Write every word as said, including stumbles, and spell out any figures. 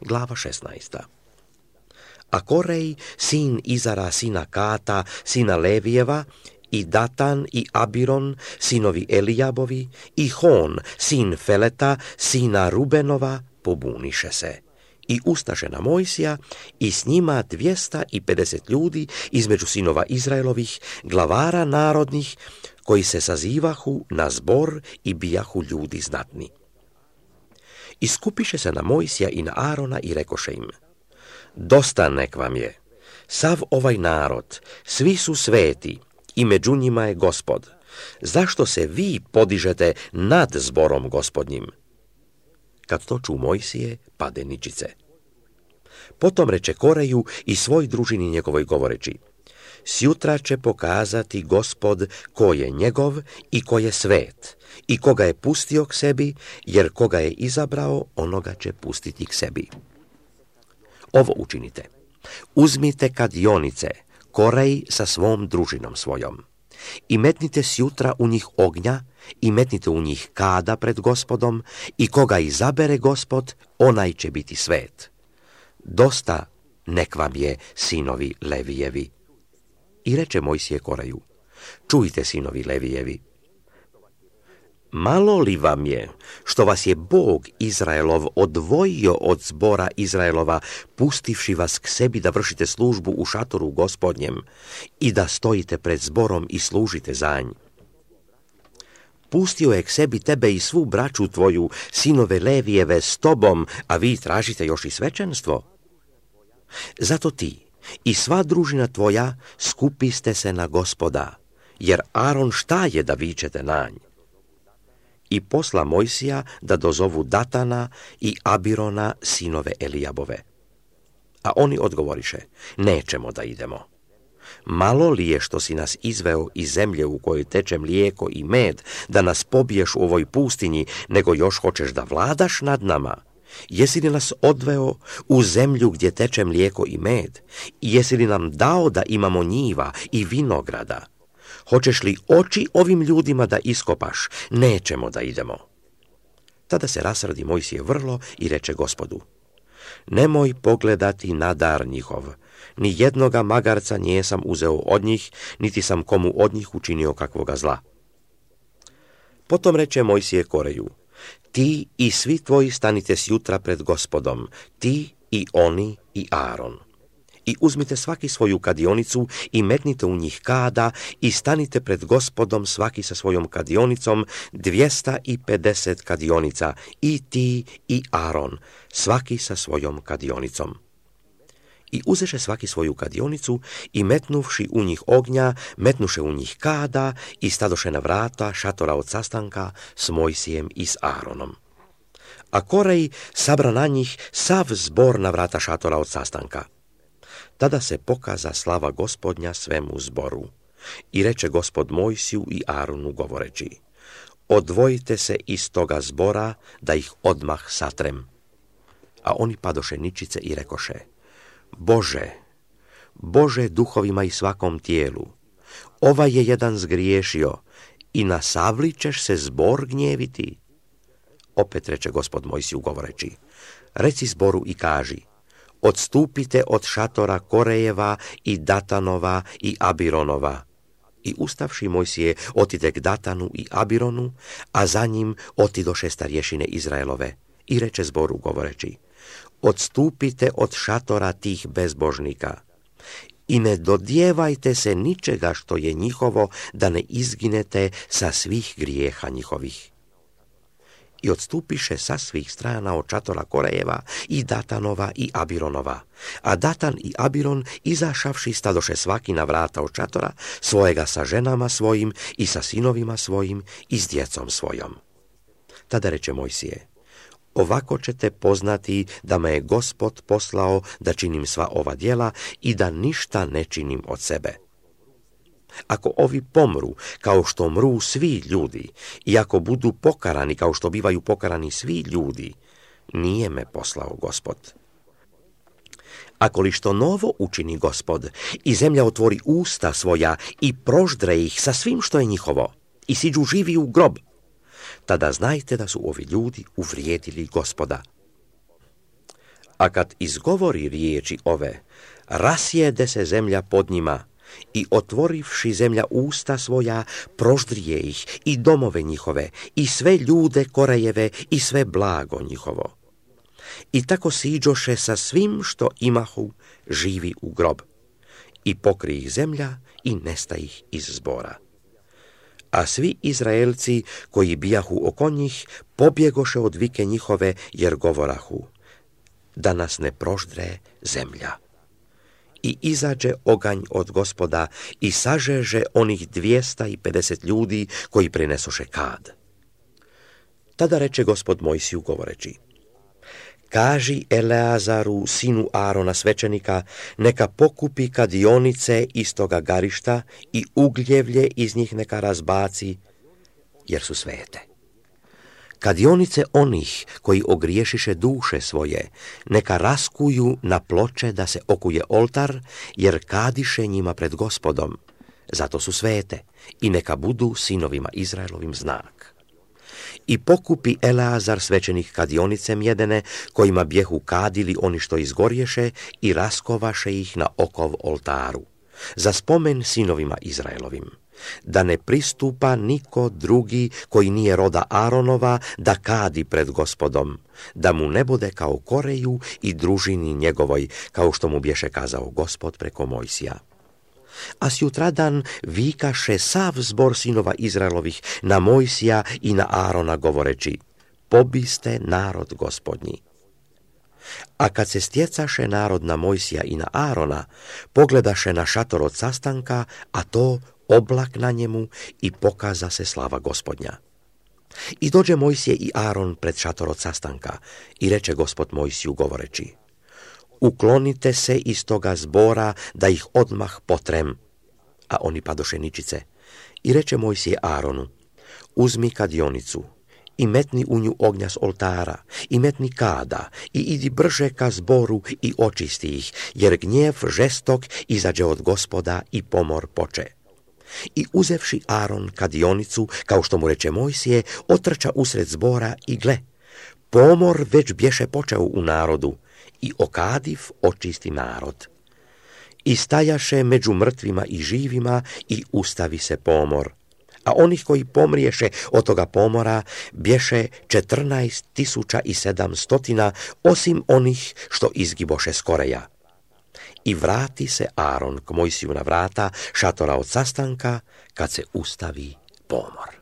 glava šesnaesta. A Korej, sin Izara, sina Kata, sina Levijeva, i Datan i Abiron, sinovi Elijabovi, i Hon, sin Feleta, sina Rubenova, pobuniše se. I ustaše na Mojsija i s njima dvjesta pedeset ljudi između sinova Izraelovih, glavara narodnih, koji se sazivahu na zbor i bijahu ljudi znatni. I skupiše se na Mojsija i na Arona i rekoše im: dosta nek vam je, sav ovaj narod, svi su sveti i među njima je Gospod. Zašto se vi podižete nad zborom Gospodnjim? Kad to ču Mojsije, pade ničice. Potom reče Koreju i svoj družini njegovoj govoreći: sjutra će pokazati Gospod ko je njegov i ko je svet, i koga je pustio k sebi, jer koga je izabrao, onoga će pustiti k sebi. Ovo učinite. Uzmite kadionice, Korej sa svom družinom svojom, i metnite sjutra u njih ognja, i metnite u njih kada pred Gospodom, i koga izabere Gospod, onaj će biti svet. Dosta nek vam je, sinovi Levijevi. I reče Mojsije Koreju: čujte, sinovi Levijevi, malo li vam je što vas je Bog Izraelov odvojio od zbora Izraelova, pustivši vas k sebi da vršite službu u šatoru Gospodnjem i da stojite pred zborom i služite za nj? Pustio je k sebi tebe i svu braću tvoju, sinove Levijeve, s tobom, a vi tražite još i svećenstvo. Zato ti i sva družina tvoja skupiste se na Gospoda, jer Aron šta je da vičete na nj? I posla Mojsija da dozovu Datana i Abirona, sinove Elijabove. A oni odgovoriše: nećemo da idemo. Malo li je što si nas izveo iz zemlje u kojoj teče mlijeko i med, da nas pobiješ u ovoj pustinji, nego još hoćeš da vladaš nad nama? Jesi li nas odveo u zemlju gdje teče mlijeko i med? I jesi li nam dao da imamo njiva i vinograda? Hoćeš li oči ovim ljudima da iskopaš? Nećemo da idemo. Tada se rasrdi Mojsije vrlo i reče Gospodu: nemoj pogledati na dar njihov, ni jednoga magarca nijesam uzeo od njih, niti sam komu od njih učinio kakvoga zla. Potom reče Mojsije Koreju: ti i svi tvoji stanite sjutra pred Gospodom, ti i oni i Aron. I uzmite svaki svoju kadionicu i metnite u njih kada i stanite pred Gospodom svaki sa svojom kadionicom, dvjesta pedeset kadionica, i ti i Aron, svaki sa svojom kadionicom. I uzeše svaki svoju kadionicu i metnuvši u njih ognja, metnuše u njih kada i stadoše na vrata šatora od sastanka s Mojsijem i s Aronom. A Korej sabra na njih sav zbor na vrata šatora od sastanka. Tada se pokaza slava Gospodnja svemu zboru. I reče Gospod Mojsiju i Aronu govoreći: odvojite se iz toga zbora, da ih odmah satrem. A oni padoše ničice i rekoše: Bože, Bože duhovima i svakom tijelu, ovaj je jedan zgriješio i na savli ćeš se zbor gnjeviti. Opet reče Gospod Mojsiju govoreći: reci zboru i kaži: odstupite od šatora Korejeva i Datanova i Abironova. I ustavši Mojsije otide k Datanu i Abironu, a za njim otidoše starješine Izraelove. I reče zboru govoreći: odstupite od šatora tih bezbožnika i ne dodijevajte se ničega što je njihovo, da ne izginete sa svih grijeha njihovih. I odstupiše sa svih strana od šatora Korejeva i Datanova i Abironova. A Datan i Abiron, izašavši, stadoše svaki na vrata od šatora svojega sa ženama svojim i sa sinovima svojim i s djecom svojom. Tada reče Mojsije: ovako ćete poznati da me je Gospod poslao da činim sva ova djela i da ništa ne činim od sebe. Ako ovi pomru kao što mru svi ljudi i ako budu pokarani kao što bivaju pokarani svi ljudi, nije me poslao Gospod. Ako li što novo učini Gospod i zemlja otvori usta svoja i proždre ih sa svim što je njihovo i siđu živi u grob, tada znajte da su ovi ljudi uvrijedili Gospoda. A kad izgovori riječi ove, rasjede se zemlja pod njima i otvorivši zemlja usta svoja, proždrije ih i domove njihove i sve ljude korejeve i sve blago njihovo. I tako siđoše sa svim što imahu živi u grob. I pokri ih zemlja i nesta ih iz zbora. A svi Izraelci koji bijahu oko njih pobjegoše od vike njihove jer govorahu, da nas ne proždre zemlja. I izađe oganj od Gospoda i sažeže onih dvijesta i pedeset ljudi koji prinesoše kad. Tada reče Gospod Mojsiju govoreći, kaži Eleazaru, sinu Arona svećenika, neka pokupi kadionice iz toga garišta i ugljevlje iz njih neka razbaci, jer su svete. Kadionice onih koji ogriješiše duše svoje, neka raskuju na ploče da se okuje oltar, jer kadiše njima pred Gospodom, zato su svete, i neka budu sinovima Izraelovim znak. I pokupi Eleazar svećenih kadionice mjedene, kojima bjehu kadili oni što izgorješe, i raskovaše ih na okov oltaru, za spomen sinovima Izraelovim, da ne pristupa niko drugi koji nije roda Aronova da kadi pred Gospodom, da mu ne bude kao Koreju i družini njegovoj, kao što mu bješe kazao Gospod preko Mojsija. A sjutradan vikaše sav zbor sinova Izraelovih na Mojsija i na Arona govoreći, pobiste narod Gospodnji. A kad se stjecaše narod na Mojsija i na Arona, pogledaše na šator od sastanka, a to oblak na njemu, i pokaza se slava Gospodnja. I dođe Mojsije i Aron pred šator od sastanka i reče Gospod Mojsiju govoreći, uklonite se iz toga zbora da ih odmah potrem. A oni padoše ničice. I reče Mojsije Aronu, uzmi kadionicu i metni u nju ognja s oltara i metni kada i idi brže ka zboru i očisti ih, jer gnjev žestok izađe od Gospoda i pomor poče. I uzevši Aron kadionicu, kao što mu reče Mojsije, otrča usred zbora i gle, pomor već bješe počeo u narodu, i okadiv očisti narod. I stajaše među mrtvima i živima i ustavi se pomor. A onih koji pomriješe od toga pomora bješe četrnaest tisuća i sedamstotina, osim onih što izgiboše s Koreja. I vrati se Aron k Mojsiju na vrata šatora od sastanka kad se ustavi pomor.